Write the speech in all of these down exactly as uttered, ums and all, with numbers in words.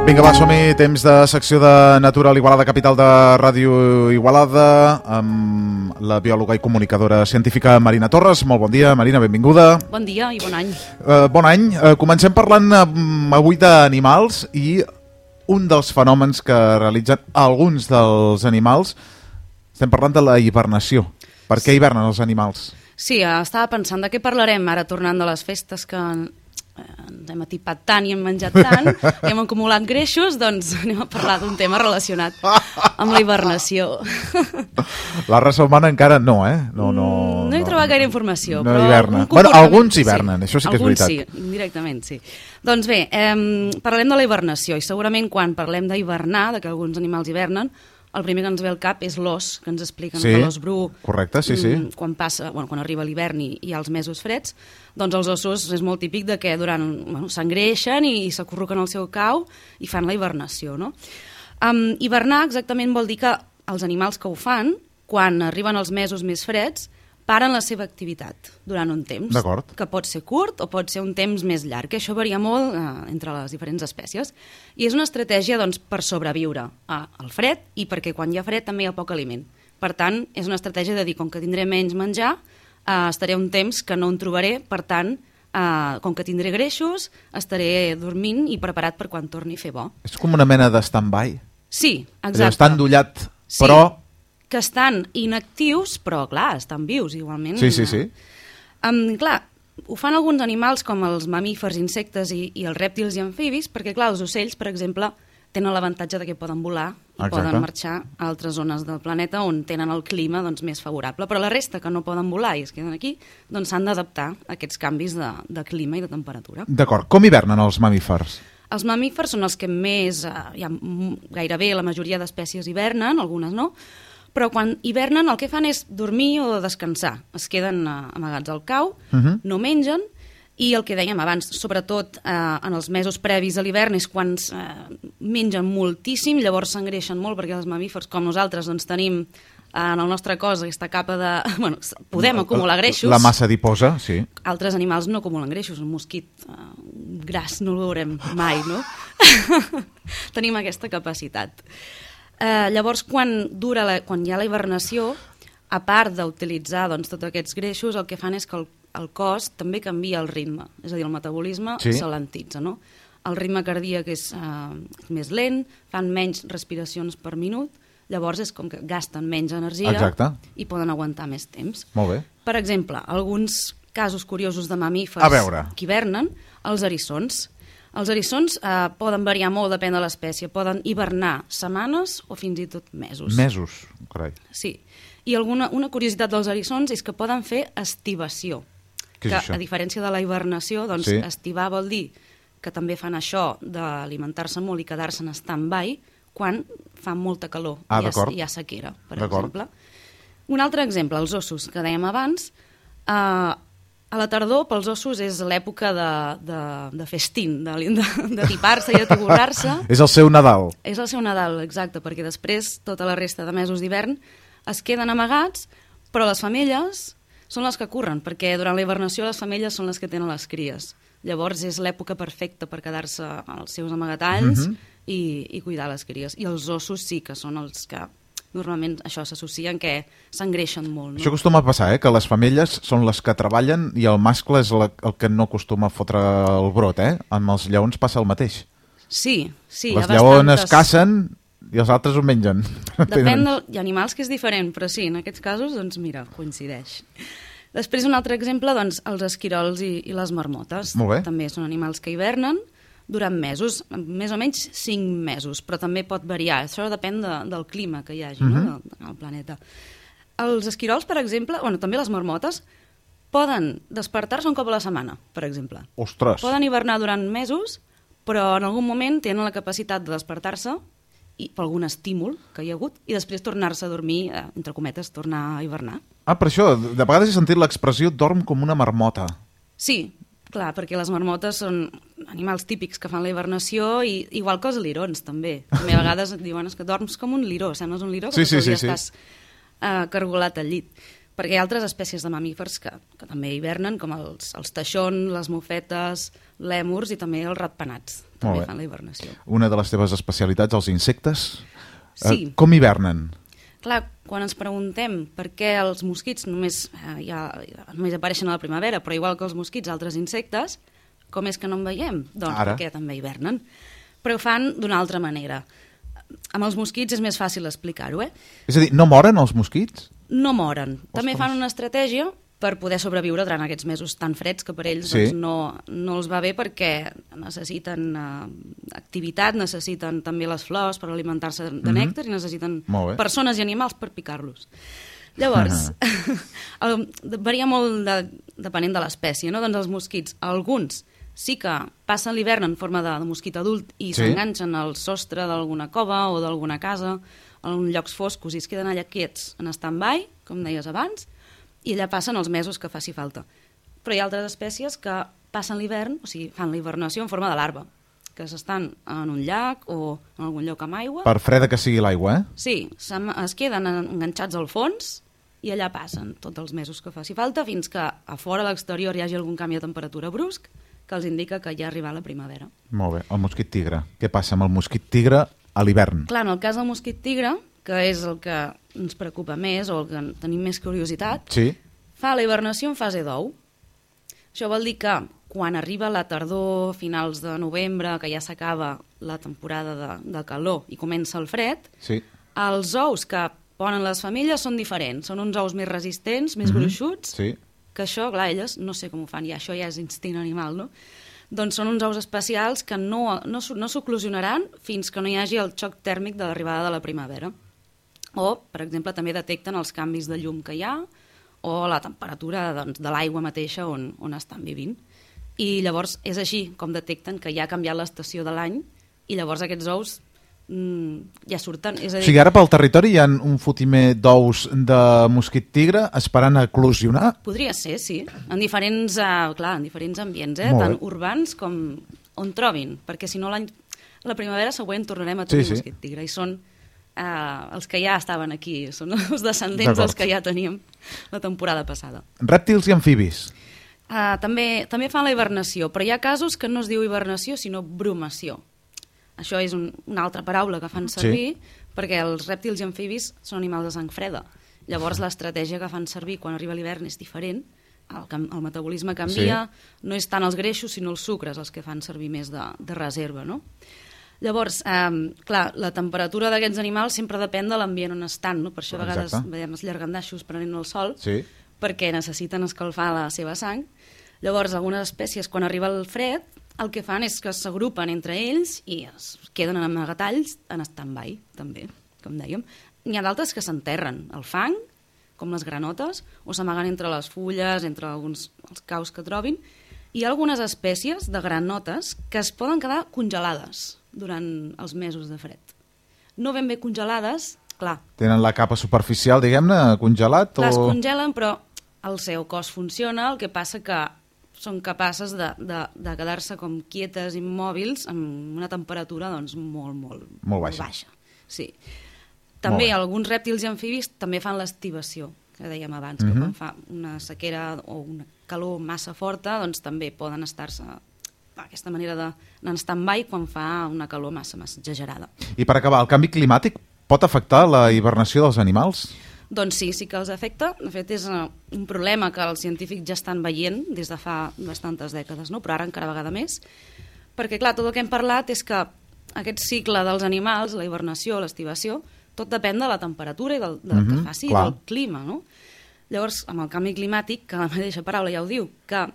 Vinga, va, som-hi, temps de secció de Natural Igualada, capital de Ràdio Igualada, amb la biòloga i comunicadora científica Marina Torres. Molt bon dia, Marina, benvinguda. Bon dia i bon any. Uh, bon any. Uh, comencem parlant um, avui d'animals i un dels fenòmens que realitzen alguns dels animals. Estem parlant de la hibernació. Per què hibernen els animals? Sí, estava pensant de què parlarem ara tornant de les festes que ens hem atipat tant i hem menjat tant i hem acumulat greixos, doncs anem a parlar d'un tema relacionat amb la hibernació. La raça humana encara no, eh? No, no, no he no, trobat gaire informació. No però hiberna. Bueno, alguns hibernen, sí, això sí que és alguns veritat. Sí, indirectament sí. Doncs bé, eh, parlem de la hibernació i segurament quan parlem d'hibernar, de que alguns animals hibernen, el primer que ens ve al cap és l'os, que ens expliquen sí, que l'os bru, correcte, sí, sí. Quan, passa, bueno, quan arriba l'hivern i hi ha els mesos freds, doncs els ossos és molt típic de que durant, bueno, s'engreixen i s'acurruquen al seu cau i fan la hibernació, no? Um, hibernar exactament vol dir que els animals que ho fan, quan arriben els mesos més freds, paren la seva activitat durant un temps, que pot ser curt o pot ser un temps més llarg, que això varia molt eh, entre les diferents espècies. I és una estratègia doncs, per sobreviure al fred i perquè quan hi ha fred també hi ha poc aliment. Per tant, és una estratègia de dir, com que tindré menys menjar, eh, estaré un temps que no en trobaré, per tant, eh, com que tindré greixos, estaré dormint i preparat per quan torni a fer bo. És com una mena de stand-by. Sí, exacte. Està endollat, sí. però... que estan inactius, però clar, estan vius igualment. Sí, sí, sí. Um, clar, ho fan alguns animals com els mamífers, insectes i, i els rèptils i amfibis, perquè clar, els ocells, per exemple, tenen l'avantatge de que poden volar i Exacte. Poden marxar a altres zones del planeta on tenen el clima doncs, més favorable. Però la resta que no poden volar i es queden aquí, doncs s'han d'adaptar a aquests canvis de, de clima i de temperatura. D'acord. Com hivernen els mamífers? Els mamífers són els que més, eh, ja, gairebé la majoria d'espècies hivernen, algunes no, però quan hivernen el que fan és dormir o descansar. Es queden uh, amagats al cau, uh -huh. no mengen, i el que dèiem abans, sobretot uh, en els mesos previs a l'hivern és quan uh, mengen moltíssim, llavors s'engreixen molt, perquè els mamífers, com nosaltres, doncs tenim uh, en el nostre cos aquesta capa de... Bueno, podem acumular greixos. La massa adiposa, sí. Altres animals no acumulen greixos, un mosquit uh, gras no el veurem mai, no? Tenim aquesta capacitat. Uh, llavors, quan, dura la, quan hi ha la hibernació, a part d'utilitzar doncs, tots aquests greixos, el que fan és que el, el cos també canvia el ritme, és a dir, el metabolisme sí. s'alentitza, no? El ritme cardíac és uh, més lent, fan menys respiracions per minut, llavors és com que gasten menys energia Exacte. I poden aguantar més temps. Molt bé. Per exemple, alguns casos curiosos de mamífers que hivernen, els eriçons. Els eriçons eh, poden variar molt, depèn de l'espècie. Poden hivernar setmanes o fins i tot mesos. Mesos, carai. Sí. I alguna, una curiositat dels eriçons és que poden fer estivació. Què és que, això? A diferència de la hibernació, doncs sí. estivar vol dir que també fan això d'alimentar-se molt i quedar-se en stand-by quan fa molta calor ah, i hi ha, hi ha sequera, per exemple. Un altre exemple, els ossos, que dèiem abans. Eh, A la tardor, pels ossos, és l'època de, de, de festín, de, de, de tipar-se i de tiborrar-se. És el seu Nadal. És el seu Nadal, exacte, perquè després, tota la resta de mesos d'hivern, es queden amagats, però les femelles són les que curren, perquè durant la hibernació les femelles són les que tenen les cries. Llavors és l'època perfecta per quedar-se als seus amagatalls uh-huh. i, i cuidar les cries. I els ossos sí que són els que... Normalment això s'associa en que s'engreixen molt. No? Això acostuma a passar, eh? Que les femelles són les que treballen i el mascle és la, el que no acostuma a fotre el brot, eh? Amb els lleons passa el mateix. Sí, sí. Les lleones cacen i els altres ho mengen. Depèn del... Hi ha animals que és diferent, però sí, en aquests casos, doncs mira, coincideix. Després un altre exemple, doncs, els esquirols i, i les marmotes. Molt bé. També són animals que hivernen durant mesos, més o menys cinc mesos, però també pot variar. Això depèn de, del clima que hi hagi uh-huh. no? del, del planeta. Els esquirols, per exemple, bueno, també les marmotes, poden despertar-se un cop a la setmana, per exemple. Ostres! Poden hivernar durant mesos, però en algun moment tenen la capacitat de despertar-se i per algun estímul que hi ha hagut i després tornar-se a dormir, eh, entre cometes, tornar a hivernar. Ah, per això, de vegades he sentit l'expressió dorm com una marmota. Sí, clar, perquè les marmotes són animals típics que fan la hibernació, i igual que els lirons, també. També a vegades et diuen que dorms com un liró, sembles un liró, que sí, sí, sí, sí. estàs uh, cargolat al llit. Perquè hi ha altres espècies de mamífers que, que també hivernen, com els, els teixons, les mofetes, lèmurs i també els ratpenats. també fan la hibernació. Una de les teves especialitats, els insectes, Sí. eh, com hivernen? Clar, quan ens preguntem per què els mosquits només, eh, ja, només apareixen a la primavera, però igual que els mosquits, altres insectes, com és que no en veiem? Doncs Ara. perquè també hivernen. Però ho fan d'una altra manera. Amb els mosquits és més fàcil explicar-ho, eh? És a dir, no moren els mosquits? No moren. També Ostres. fan una estratègia per poder sobreviure durant aquests mesos tan freds que per ells Sí. doncs, no, no els va bé perquè necessiten eh, activitat, necessiten també les flors per alimentar-se de nèctar i necessiten Molt bé. persones i animals per picar-los. Llavors, el, varia molt de, depenent de l'espècie, no? Doncs els mosquits, alguns sí que passen l'hivern en forma de, de mosquit adult i Sí. s'enganxen al sostre d'alguna cova o d'alguna casa, en llocs foscos, i es queden allà quiets en stand-by, com deies abans, i allà passen els mesos que faci falta. Però hi ha altres espècies que passen l'hivern, o sigui, fan la hibernació en forma de larva, que s'estan en un llac o en algun lloc amb aigua. Per freda que sigui l'aigua, eh? Sí, es queden enganxats al fons i allà passen tots els mesos que faci falta fins que a fora, a l'exterior, hi hagi algun canvi de temperatura brusc que els indica que ja ha arribat la primavera. Molt bé. El mosquit tigre. Què passa amb el mosquit tigre a l'hivern? Clar, en el cas del mosquit tigre, que és el que ens preocupa més o el que tenim més curiositat, Sí. fa la hibernació en fase d'ou. Això vol dir que quan arriba la tardor, finals de novembre, que ja s'acaba la temporada de, de calor i comença el fred, Sí. els ous que ponen les femelles són diferents. Són uns ous més resistents, més Mhm. gruixuts, Sí. que això, clar, elles no sé com ho fan, ja això ja és instint animal, no? Doncs són uns ous especials que no, no, no s'oclusionaran fins que no hi hagi el xoc tèrmic de l'arribada de la primavera. O, per exemple, també detecten els canvis de llum que hi ha o la temperatura doncs, de l'aigua mateixa on, on estan vivint. I llavors és així com detecten que ja ha canviat l'estació de l'any i llavors aquests ous mm, ja surten. És a O dir, sigui, ara pel territori hi ha un fotimer d'ous de mosquit tigre esperant a eclosionar. podria ser, sí, en diferents, uh, clar, en diferents ambients, eh? Molt Tant bé. urbans com on trobin, perquè si no l'any la primavera següent tornarem a Sí, tenir sí. mosquit tigre i són uh, els que ja estaven aquí, són els descendents D'acord. dels que ja teníem la temporada passada. Rèptils i amfibis. Uh, també, també fan la hibernació, però hi ha casos que no es diu hibernació, sinó brumació. Això és un, una altra paraula que fan servir, sí. perquè els rèptils i amfibis són animals de sang freda. Llavors l'estratègia que fan servir quan arriba l'hivern és diferent, el, cam- el metabolisme canvia, sí. no és tant els greixos sinó els sucres els que fan servir més de, de reserva, no? Llavors, eh, clar, la temperatura d'aquests animals sempre depèn de l'ambient on estan, no? Per això a vegades Exacte. veiem els llargandaixos prenent el sol, Sí. perquè necessiten escalfar la seva sang. Llavors, algunes espècies, quan arriba el fred, el que fan és que s'agrupen entre ells i es queden en amagatalls en stand-by, també, com dèiem. N'hi ha d'altres que s'enterren al fang, com les granotes, o s'amaguen entre les fulles, entre alguns els caus que trobin. Hi ha algunes espècies de granotes que es poden quedar congelades durant els mesos de fred. No ben bé congelades, clar, Tenen la capa superficial, diguem-ne, congelat? les o... congelen, però el seu cos funciona, el que passa que són capaces de, de, de quedar-se com quietes, immòbils, amb una temperatura doncs, molt, molt, Molt baixa. baixa. Sí. També bé. alguns rèptils i amfibis també fan l'estivació, que dèiem abans, Mhm. que quan fa una sequera o una calor massa forta, doncs també poden estar-se d'aquesta manera de- d'anar en stand-by quan fa una calor massa, massa exagerada. I per acabar, el canvi climàtic pot afectar la hibernació dels animals? Doncs sí, sí que els afecta. De fet, és uh, un problema que els científics ja estan veient des de fa bastantes dècades, no? Però ara encara vegada més. Perquè, clar, tot el que hem parlat és que aquest cicle dels animals, la hibernació, l'estivació, tot depèn de la temperatura i del, del Mhm, que faci, clar. del clima, no? Llavors, amb el canvi climàtic, que la mateixa paraula ja ho diu, que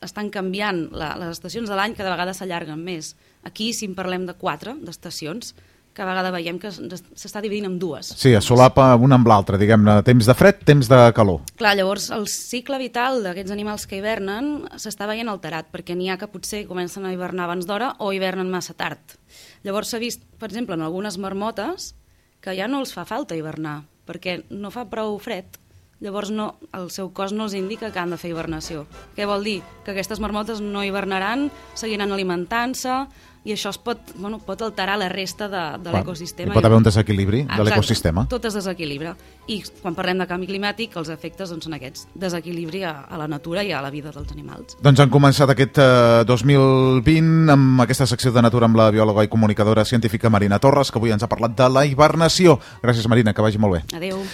estan canviant la, les estacions de l'any, cada vegada s'allarguen més. Aquí, si en parlem de quatre, d'estacions, cada vegada veiem que s'està dividint en dues. Sí, es solapa una amb l'altra, diguem-ne, temps de fred, temps de calor. Clar, llavors el cicle vital d'aquests animals que hivernen s'està veient alterat, perquè n'hi ha que potser comencen a hivernar abans d'hora o hivernen massa tard. Llavors s'ha vist, per exemple, en algunes marmotes, que ja no els fa falta hivernar, perquè no fa prou fred. Llavors no, el seu cos no els indica que han de fer hibernació. Què vol dir? Que aquestes marmotes no hivernaran, seguiran alimentant-se, i això es pot, bueno, pot alterar la resta de, de l'ecosistema. Hi pot haver un desequilibri de l'ecosistema. Tot es desequilibra. I quan parlem de canvi climàtic, els efectes doncs, són aquests. Desequilibri a, a la natura i a la vida dels animals. Doncs han començat aquest eh, dos mil vint amb aquesta secció de natura amb la biòloga i comunicadora científica Marina Torres, que avui ens ha parlat de la hibernació. Gràcies, Marina, que vagi molt bé. Adéu.